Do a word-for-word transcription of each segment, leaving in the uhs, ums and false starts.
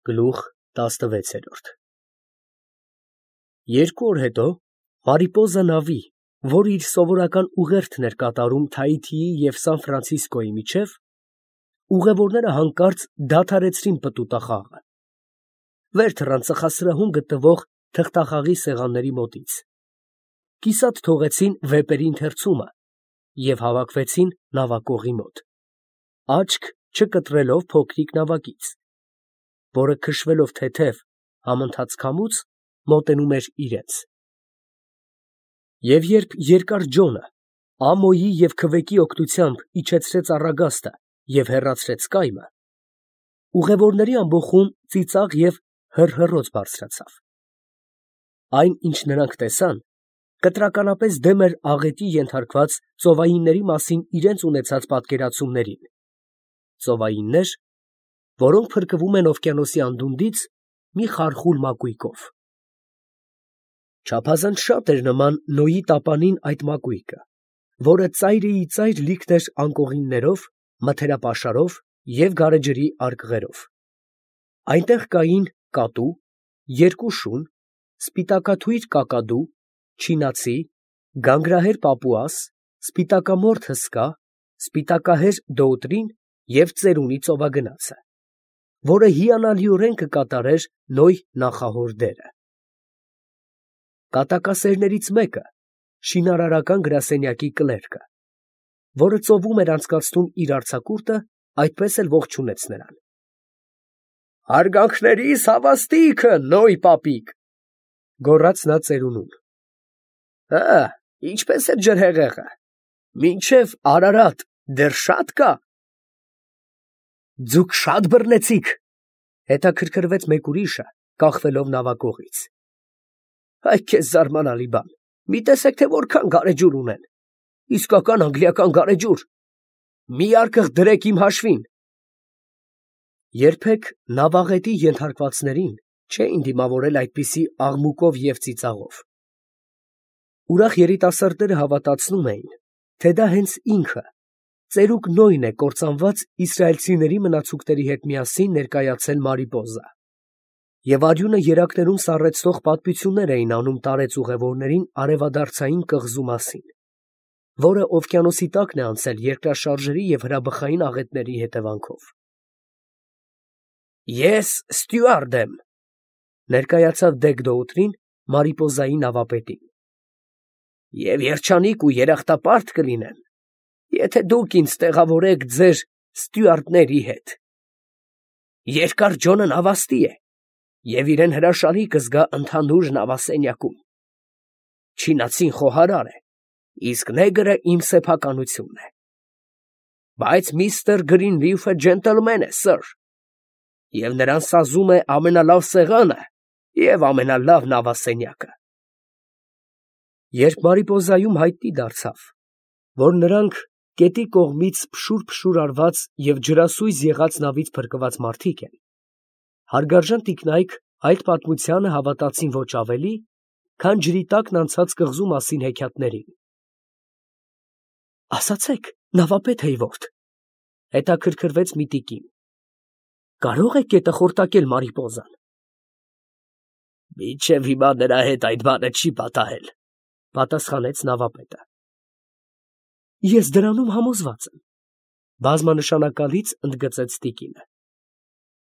Գլուխ տասնվեց։ Երկու օր հետո Մարիպոզա նավի, որ իր սովորական ուղերձն էր կատարում Թայիթիի և Սան Ֆրանցիսկոյի միջև, ուղևորները հանկարծ դադարեցրին պտուտախաղը, վեր թռան ծխասրահում գտնվող թղթախաղի սեղանների մոտից, կիսատ թողեցին վեպերի ընթերցումը և հավաքվեցին նավակողի մոտ, աչք չկտրելով փոքրիկ նավակից, որը քշվելով թեթև համընթաց քամուց մոտենում էր իրենց։ Եվ երբ երկար ջոնը ամոյի և քվեկի օգնությամբ իջեցրեց առագաստը և հեռացրեց կայմը, ուղևորների ամբոխում ծիծաղ և հռհռոց բարձրացավ։ Այն, ինչ նրանք տեսան, կտրականապես դեմ էր աղետի ենթարկված ծովայինների մասին իրենց ունեցած պատկերացումներին, ծովայիններ, որոնք փրկվում են օվկիանոսի անդունդից մի խարխուլ մակույկով։ Չափազանց շատ էր նման Նոյի տապանին այդ մակույկը, որը ծայրիծայր լիքն էր անկողիններով, մթերապաշարով և գարեջրի արկղերով։ Այնտեղ կային կատու, երկու շուն, սպիտակաթույր կակադու, չինացի, գանգրահեր պապուաս, սպիտակամորթ հսկա, սպիտակահեր դոուտրին և ծերունի ծովագնացը, որը հիանալիորեն կկատարեր Նոյ նախահոր դերը։ Կատակասերներից մեկը, շինարարական գրասենյակի կլերկը, որը ծովում էր անցկացնում իր արձակուրդը, այդպես էլ ողջունեց նրան։ ֊ Հարգանքներիս հավաստիքը, Նոյ պապիկ, ֊ գոռաց նա ծերունուն։ ֊ Հը, ինչպե՞ս է ջրհեղեղը, մինչև Արարատ դեռ շատ կա։ ֊ Ձուկ շատ բռնեցի՞ք, ֊ հետաքրքրվեց մեկ ուրիշը, կախվելով նավակողից։ ֊ Այ քեզ զարմանալի բան, մի տեսեք, թե որքան գարեջուր ունեն, իսկական անգլիական գարեջուր, մի արկղ դրեք իմ հաշվին։ Երբեք նավաղետի ենթարկվածներին չէին դիմավորել այդպիսի աղմուկով և ծիծաղով։ Ուրախ երիտասարդները հավատացնում էին, թե դա հենց ինքը, ծերուկ Նոյն է կործանված իսրայելցիների մնացուկների հետ միասին ներկայացել Մարիպոզա, և արյունը երակներում սառեցնող պատմություններ էին անում տարեց ուղևորներին արևադարձային կղզու մասին, որը օվկիանոսի տակն է անցել երկրաշարժերի և հրաբխային աղետների հետևանքով։ Ես ստյուարդ եմ, ֊ ներկայացավ դեգ Դոուտրին Մարիպոզայի նավապետին, ֊ և երջանիկ ու երախտապարտ կլինեմ, եթե դուք ինձ տեղավորեք ձեր ստյուարդների հետ։ Երկար ջոնը նավաստի է և իրեն հրաշալի կզգա ընդհանուր նավասենյակում։ Չինացին խոհարար է, իսկ նեգրը իմ սեփականությունն է։ Բայց միստր Գրինլիֆը ջենտլմեն է, սըր, և նրան սազում է ամենալավ սեղանը և ամենալավ նավասենյակը։ Երբ Մարիպոզայում հայտնի դարձավ, որ նրանք գետի կողմից փշուր֊փշուր արված և ջրասույզ եղած նավից փրկված մարդիկ են, հարգարժան տիկնայք այդ պատմությանը հավատացին ոչ ավելի, քան ջրի տակն անցած կղզու մասին հեքիաթներին։ ֊ Ասացեք, նավապետ հեյվորդ, ֊ հետաքրքրվեց մի տիկին, ֊ կարո՞ղ եք գետը խորտակել Մարիպոզան։ ֊ Մինչև հիմա նրա հետ այդ բանը չի պատահել, ֊ պատասխանեց նավապետը։ ֊ Ես դրանում համոզված եմ, ֊ բազմանշանակալից ընդգծեց տիկինը։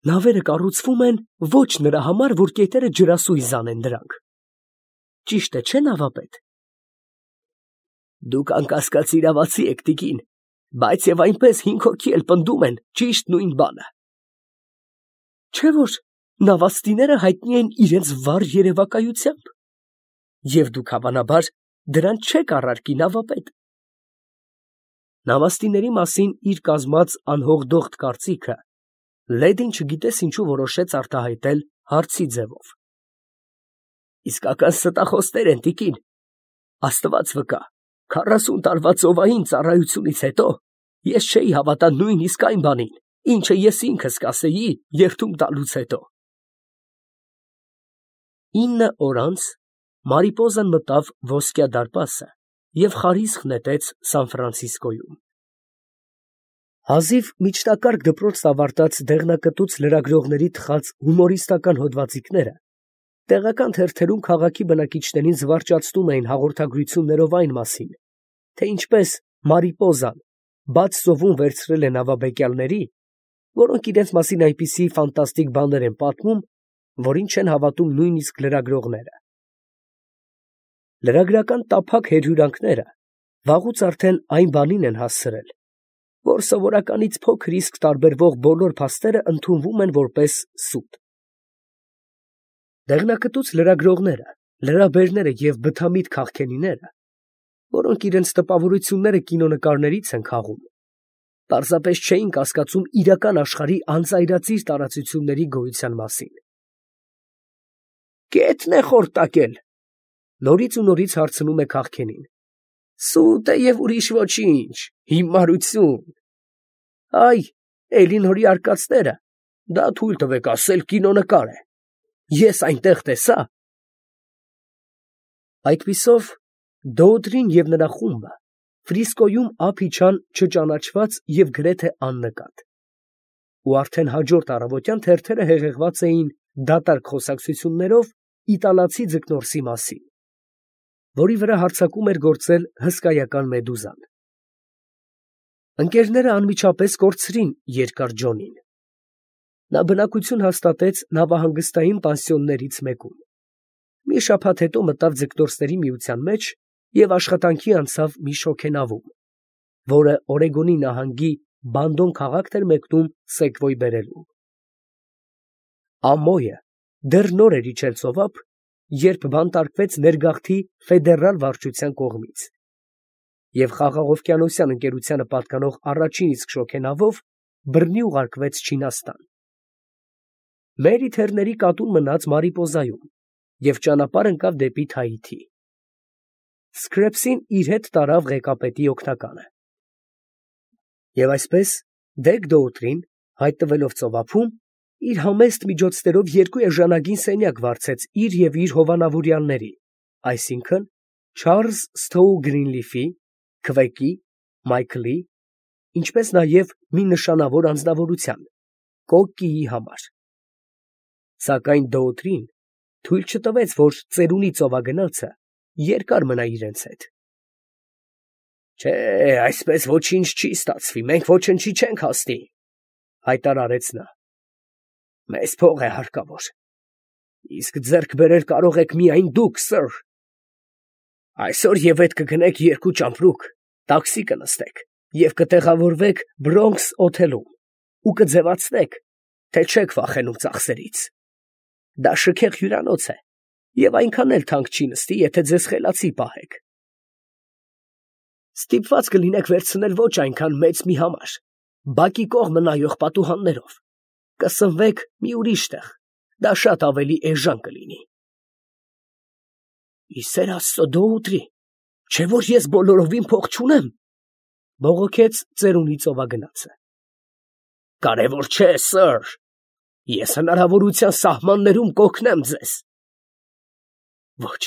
Նավերը կառուցվում են ոչ նրա համար, որ կետերը ջրասույզ անեն դրանք։ Ճիշտ է, չէ՞, նավապետ։ ֊ Դուք անկասկած իրավացի եք, տիկին, բայց և այնպես հինգ հոգի էլ պնդում են ճիշտ նույն բանը։ Չէ՞ որ նավաստիները հայտնի են իրենց վառ երևակայությամբ, և դուք, հավանաբար, դրանց չեք առարկի, նավապետ։ Նավաստիների մասին իր կազմած անհողդողդ կարծիքը լեդին չգիտես ինչու որոշեց արտահայտել հարցի ձևով։ Իսկական ստախոսներ են, տիկին, աստված վկա, քառասուն տարվա ծովային ծառայությունից հետո ես չէի հավատա նույնիսկ այն բանին, ինչը ես ինքս կասեի երդում տալուց հետո։ Ինը օր անց Մարիպոզան մտավ ոսկյա դարպասը և խարիսխ նետեց Սան Ֆրանցիսկոյում։ Հազիվ միջնակարգ դպրոց ավարտած դեղնակտուց լրագրողների թխած հումորիստական հոդվածիկները տեղական թերթերում քաղաքի բնակիչներին զվարճացնում էին հաղորդագրություններով այն մասին, թե ինչպես Մարիպոզան բաց ծովում վերցրել է նավաբեկյալների, որոնք իրենց մասին այնպիսի ֆանտաստիկ բաներ են պատմում, որին չեն հավատում նույնիսկ լրագրողները։ Լրագրական տափակ հերհյուրանքները վաղուց արդեն այն բանին են հասցրել, որ սովորականից փոքր իսկ տարբերվող բոլոր փաստերը ընդունվում են որպես սուտ։ Դեղնակտուց լրագրողները, լրաբերները և բթամիտ քաղքենիները, որոնք իրենց տպավորությունները կինոնկարներից են քաղում, պարզապես չէին կասկածում իրական աշխարհի անծայրածիր տարածությունների գոյության մասին։ «Կետն է խորտակել», նորից ու նորից հարցնում է քաղքենին։ «Սուտ է և ուրիշ ոչինչ, հիմարություն։ Այ, Էլինորի արկածները, դա թույլ տվեք ասել, կինոնկար է։ Ես այնտեղ տեսա…» Այդպիսով Դոուդրին և նրա խումբը Ֆրիսկոյում ափ իջան չճանաչված և գրեթե աննկատ։ Ու արդեն հաջորդ առավոտյան թերթերը հեղեղված էին դատարկ խոսակցություններով իտալացի ձկնորսի մասին, որի վրա հարձակում էր գործել հսկայական մեդուզան։ Ընկերները անմիջապես կորցրին երկար Ջոնին։ Նա բնակություն հաստատեց նավահանգստային պանսիոններից մեկում։ Մի շաբաթ հետո մտավ ձկնորսների միության մեջ և աշխատանքի անցավ մի շոգենավում, որը Օրեգոնի նահանգի Բանդոն քաղաքն էր մեկնում Սեգվոյ բերելու։ Ամոյը դեռ նոր էր իջել ծովափ, երբ բանտարկվեց ներգաղթի ֆեդերալ վարչության կողմից, և խաղաղօվկիանոսյան ընկերությանը պատկանող առաջին իսկ շոգենավով բռնի ուղարկվեց Չինաստան։ Մերիթերների կատուն մնաց Մարիպոզայում և ճանապարհ ընկավ դեպի Թահիթի։ Սկրեպսին իր հետ տարավ ղեկապետի օգնականը։ Եվ այսպես Դեգ֊Դոուտրին, հայտնվելով ծովափում, իր համեստ միջոցներով երկու էժանագին սենյակ վարձեց իր և իր հովանավորյալների, այսինքն՝ Չարլզ Սթոու Գրինլիֆի, Քվեկի, Մայքլի, ինչպես նաև մի նշանավոր անձնավորության՝ Կոկկիի համար։ Սակայն Դոուտրին թույլ չտվեց, որ ծերունի ծովագնացը երկար մնա իրենց հետ։ «Չէ, այսպես ոչինչ չի ստացվի, մենք ոչնչի չենք հասնի», ֊ հայտարարեց նա։ «Մեզ փող է հարկավոր, իսկ ձեռք բերել կարող եք միայն դուք, սըր։ Այսօր և ետ կգնեք երկու ճամպրուկ, տաքսի կնստեք և կտեղավորվեք Բրոնքս օթելում ու կձևացնեք, թե չեք վախենում ծախսերից։ Դա շքեղ հյուրանոց է և այնքան էլ թանկ չի նստի, եթե ձեզ խելացի պահեք։ Ստիպված կլինեք վերցնել ոչ այնքան մեծ մի համար, բակի կողմը նայող պատուհաններով, կսնվեք մի ուրիշ տեղ, դա շատ ավելի էժան կլինի»։ «Ի սեր Աստծո, Դոուտրի, չէ՞ որ ես բոլորովին փող չունեմ», ֊ բողոքեց ծերունի ծովագնացը։ «Կարևոր չէ, սըր, ես հնարավորության սահմաններում կօգնեմ ձեզ»։ «Ոչ,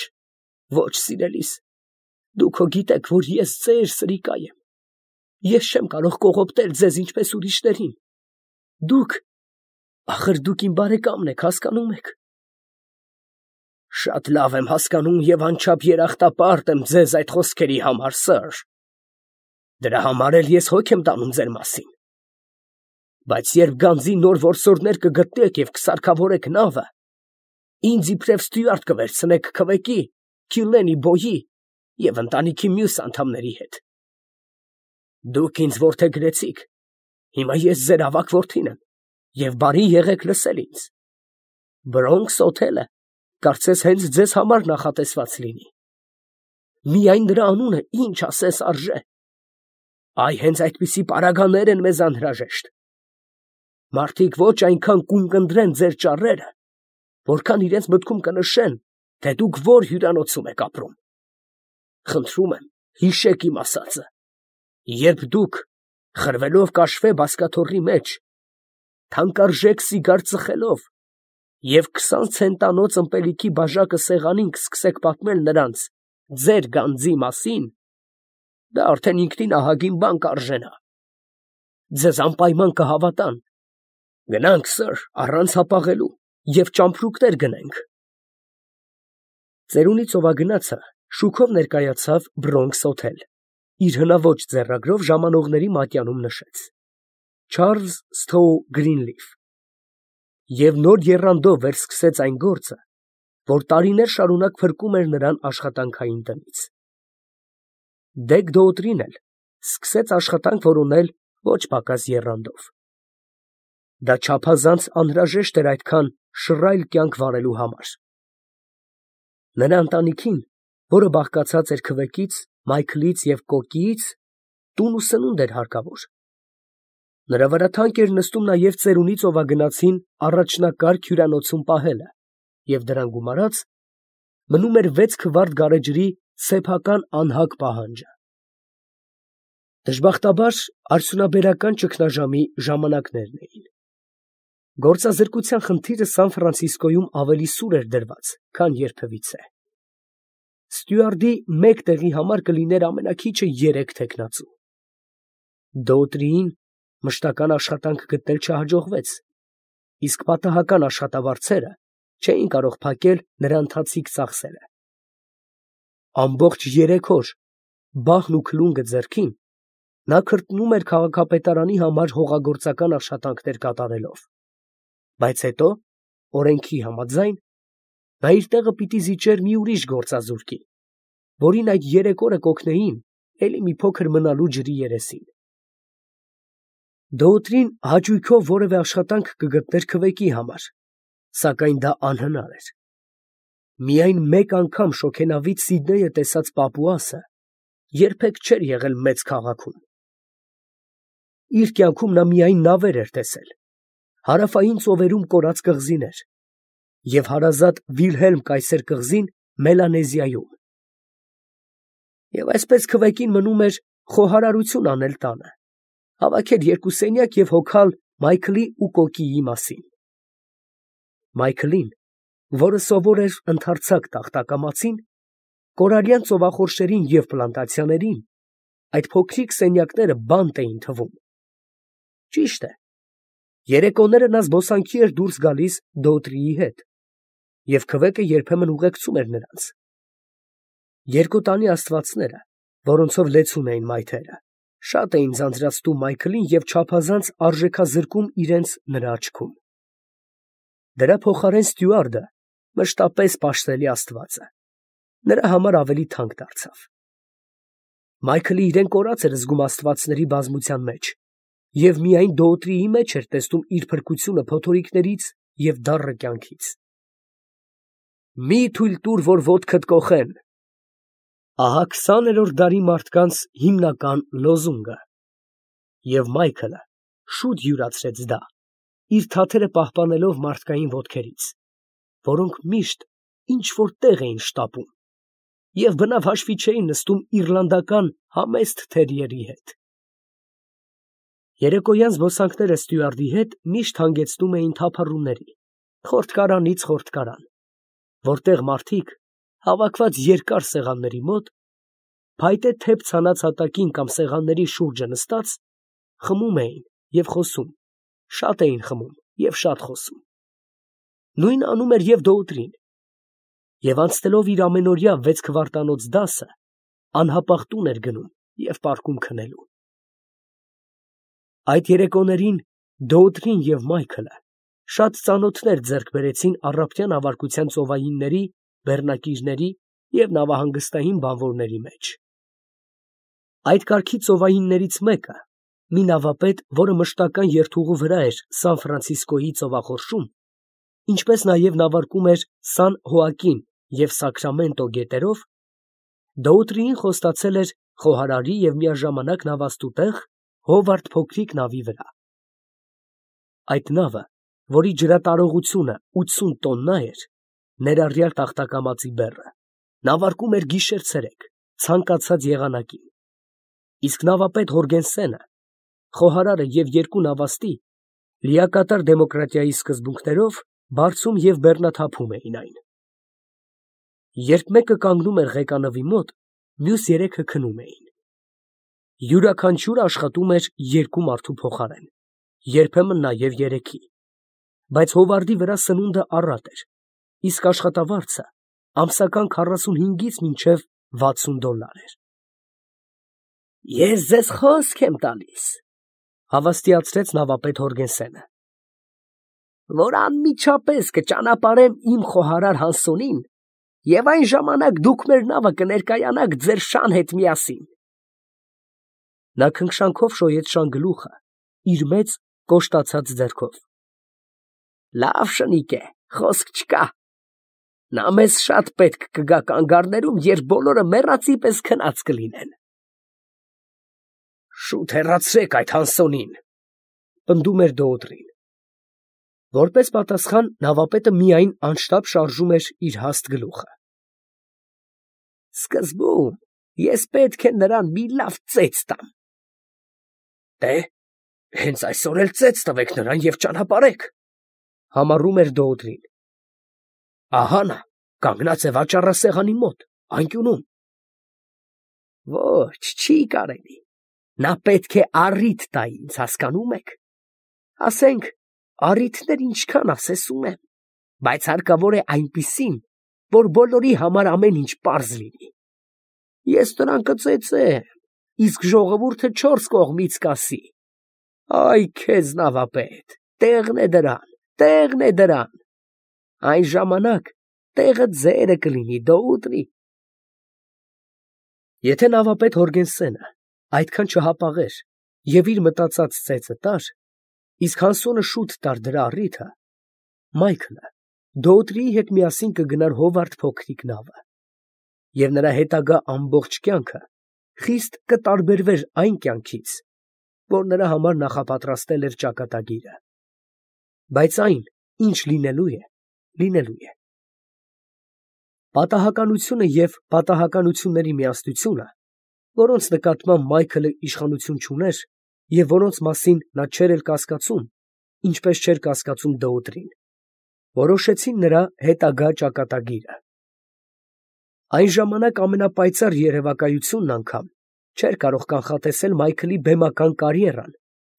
ոչ, սիրելիս, դուք հո գիտեք, որ ես ձեր սրիկա եմ, ես չեմ կարող կողոպտել ձեզ ինչպես ուրիշներին, դուք… ախր դուք իմ բարեկամն եք, հասկանում եք»։ «Շատ լավ եմ հասկանում և անչափ երախտապարտ եմ ձեզ այդ խոսքերի համար, սըր, դրա համար էլ ես հոգ եմ տանում ձեր մասին։ Բայց երբ գանձի նոր որսորդներ կգտնեք և կսարքավորեք նավը, ինձ իբրև ստյուարդ կվերցնեք Քվեկի, Քիլլենի բոյի և ընտանիքի մյուս անդամների հետ։ Դուք ինձ որդեգրեցիք, հիմա ես ձեր ավագ որդին եմ, և բարի եղեք լսել ինձ։ Բրոնքս օթելը կարծես հենց ձեզ համար նախատեսված լինի։ Միայն նրա անունը ինչ ասես արժե։ Այ հենց այդպիսի պարագաներ են մեզ անհրաժեշտ։ Մարդիկ ոչ այնքան կունկնդրեն ձեր ճառերը, որքան իրենց մտքում կնշեն, թե դուք որ հյուրանոցում եք ապրում։ Խնդրում եմ, հիշեք իմ ասածը. երբ դուք, խրվելով կաշվե բազկաթոռի մեջ, թանկարժեք սիգար ծխելով և քսան ցենտանոց ըմպելիքի բաժակը սեղանին կսկսեք պատմել նրանց ձեր գանձի մասին, դա արդեն ինքնին ահագին բան կարժենա։ ձեզ անպայման կհավատան։ Գնանք, սըր, առանց հապաղելու, և ճամպրուկներ գնենք։ Ծերունի ծովագնացը շուքով ներկայացավ Բրոնքս հոթել, իր հնաոճ ձեռագրով ժամանողների մատյանում նշեց. Չարլզ Սթոու Գրինլիֆ։ Եվ նոր եռանդով վերսկսեց այն գործը, որ տարիներ շարունակ փրկում էր նրան աշխատանքային տնից։ Դեգ Դոուտրին էլ սկսեց աշխատանք որոնել ոչ պակաս եռանդով։ Դա չափազանց անհրաժեշտ էր այդքան շռայլ կյանք վարելու համար։ Նրա ընտանիքին, որը բաղկացած էր քվեկից, Մայքլից և Կոկիից, տուն ու սնունդ էր հարկավոր։ Նրա վրա թանկ էր նստում նաև ծերունի ծովագնացին առաջնակարգ հյուրանոցում պահելը, և դրան գումարած մնում էր վեց քվարտ գարեջրի սեփական անհագ պահանջը։ Դժբախտաբար արդյունաբերական ճգնաժամի ժամանակներն էին։ Գործազրկության խնդիրը Սան Ֆրանցիսկոյում ավելի սուր էր դրված, քան երբևիցե։ Ստյուարդի մեկ տեղի համար կլիներ ամենաքիչը երեք թեկնածու։ Դոուտրիին մշտական աշխատանք գտնել չհաջողվեց, իսկ պատահական աշխատավարձերը չէին կարող փակել նրա ընթացիկ ծախսերը։ Ամբողջ երեք օր, բահն ու քլունգը ձեռքին, նա քրտնում էր քաղաքապետարանի համար հողագործական աշխատանքներ կատարելով, բայց հետո, օրենքի համաձայն, նա իր տեղը պիտի զիջեր մի ուրիշ գործազուրկի, որին այդ երեք օրը կօգնեին էլի մի փոքր մնալու ջրի երեսին։ Դոուտրին հաճույքով որևէ աշխատանք կգտներ քվեկի համար, սակայն դա անհնար էր։ Միայն մեկ անգամ շոգենավիթ Սիդնեյը տեսած պապուասը երբեք չէր եղել մեծ քաղաքում։ Իր կյանքում նա միայն նավեր էր տեսել, հարավային ծովերում կորած կղզիներ և հարազատ Վիլհելմ կայսեր կղզին Մելանեզիայում։ Եվ այսպես քվեկին մնում էր խոհարարություն անել տանը, հավաքել երկու սենյակ և հոգալ Մայքլի ու Կոկիի մասին։ Մայքլին, որը սովոր էր ընդարձակ տախտակամածին, կորալյան ծովախորշերին և պլանտացիաներին այդ փոքրիկ սենյակները բանտ էին թվում։ Ճիշտ է, երեկոները նա զբոսանքի էր դուրս գալիս Դոուտրիի հետ, և քվեկը երբեմն ուղեկցում էր նրանց։ Երկու տանի աստվածները, որոնցով լեցուն էին մայթերը, շատ էին ձանձրացնում Մայքլին և չափազանց արժեքազրկում իրենց նրա աչքում։ Դրա փոխարեն Ստյուարդը, մշտապես պաշտելի աստվածը, նրա համար ավելի թանկ դարձավ։ Մայքլը իրեն կորած էր զգում աստվածների բազմության մեջ և միայն Դոուտրիի մեջ էր տեսնում իր փրկությունը փոթորիկներից և դառը կյանքից։ «Մի թույլ տուր, որ ոտքդ կոխեն» ահա քսաներորդ դարի մարդկանց հիմնական լոզունգը, և Մայքլը շուտ յուրացրեց դա, իր թաթերը պահպանելով մարդկային ոտքերից, որոնք միշտ ինչ֊որ տեղ էին շտապում և բնավ հաշվի չէին նստում իռլանդական համեստ թերիերի հետ։ Երեկոյան զբոսանքները Ստյուարդի հետ միշտ հանգեցնում էին թափառումների, խորտկարանից խորտկարան, որտեղ մարդիկ, հավաքված երկար սեղանների մոտ, փայտե թեփ ցանած հատակին կամ սեղանների շուրջը նստած, խմում էին և խոսում, շատ էին խմում և շատ խոսում։ Նույնը անում էր և Դոուտրին, և անցնելով իր ամենօրյա վեց քվարտանոց դասը, անհապաղ տուն էր գնում և պարկում քնելու։ Այդ երեկոներին Դոուտրին և Մայքլը շատ ծանոթներ ձեռք բերեցին առափնյա նավարկության ծովայինների, բեռնակիրների և նավահանգստային բանվորների մեջ։ Այդ կարգի ծովայիններից մեկը, մի նավապետ, որը մշտական երթուղու վրա էր Սան Ֆրանցիսկոյի ծովախորշում, ինչպես նաև նավարկում էր Սան Հոակին և Սակրամենտո գետերով, Դոուտրիին խոստացել էր խոհարարի և միաժամանակ նավաստու տեղ Հովարդ փոքրիկ նավի վրա։ Այդ նավը, որի ջրատարողությունը ութսուն տոննա էր, ներառյալ տախտակամածի բեռը, նավարկում էր գիշեր֊ցերեկ, ցանկացած եղանակին, իսկ նավապետ Հորգենսենը, խոհարարը և երկու նավաստի լիակատար դեմոկրատիայի սկզբունքներով բարձում և բեռնաթափում էին այն։ Երբ մեկը կանգնում էր ղեկանվի մոտ, մյուս երեքը քնում էին։ Յուրաքանչյուրը աշխատում էր երկու մարդու փոխարեն, երբեմն նաև երեքի, բայց հովարդի վրա սնունդը առատ էր, իսկ աշխատավարձը ամսական քառասունհինգից մինչև վաթսուն դոլար էր։ Ես ձեզ խոսք եմ տալիս, հավաստիացրեց նավապետ Հորգենսենը, որ անմիջապես կճանապարհեմ իմ խոհարար Հանսոնին, և այն ժամանակ դուք մեր նավը կներկայանաք ձեր շան հետ միասին։ Նա քնքշանքով շոյեց շան գլուխը իր մեծ կոշտացած ձեռքով։ Լավ շնիկ է, խոսք չկա։ Նա մեզ շատ պետք կգա կանգառներում, երբ բոլորը մեռածի պես քնած կլինեն։ Շուտ հեռացրեք այդ Հանսոնին, պնդում էր Դոուդրին։ Որպես պատասխան նավապետը միայն անշտապ շարժում էր իր հաստ գլուխը։ Սկզբում ես պետք է նրան մի լավ ծեծ տամ։ Դե, հենց այսօր էլ ծեծ տվեք նրան և ճանապարհեք, համառում էր Դոուդրին։ Ահա նա կանգնած է վաճառասեղանի մոտ, անկյունում։ Ոչ, չի կարելի, նա պետք է առիթ տա ինձ, հասկանում եք, ասենք, առիթներ ինչքան ասես ունեմ, բայց հարկավոր է այնպիսին, որ բոլորի համար ամեն ինչ պարզ լինի։ Ես նրան կծեծեմ, իսկ ժողովուրդը չորս կողմից կասի. «Այ քեզ նավապետ, տեղն է դրան, տեղն է դրան»։ Այն ժամանակ տեղը ձերը կլինի, Դոուդրի։ Եթե նավապետ Հորգենսենը այդքան չհապաղեր և իր մտածած ծեծը տար, իսկ Հանսոնը շուտ տար դրա առիթը, Մայքլը Դոուդրիի հետ միասին կգնար Հովարդ փոքրիկ նավը, և նրա հետագա ամբողջ կյանքը խիստ կտարբերվեր այն կյանքից, որ նրա համար նախապատրաստել էր ճակատագիրը։ Բայց այն, ինչ լինելու է, լինելու է։ Պատահականությունը և պատահականությունների միասնությունը, որոնց նկատմամբ Մայքլը իշխանություն չուներ և որոնց մասին նա չէր էլ կասկածում, ինչպես չէր կասկածում Դոուդրին, որոշեցին նրա հետագա ճակատագիրը։ Այն ժամանակ ամենապայծառ երևակայությունն անգամ չէր կարող կանխատեսել Մայքլի բեմական կարիերան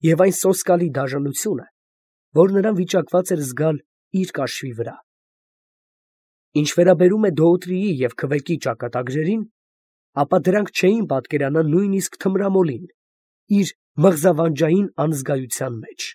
և այն սոսկալի դաժանությունը, որ նրան վիճակված էր զգալ իր կաշվի վրա։ Ինչ վերաբերում է Դոուդրիի և Քվեկի ճակատագրերին, ապա դրանք չէին պատկերանա նույնիսկ թմրամոլին իր մղզավանջային անզգայության մեջ։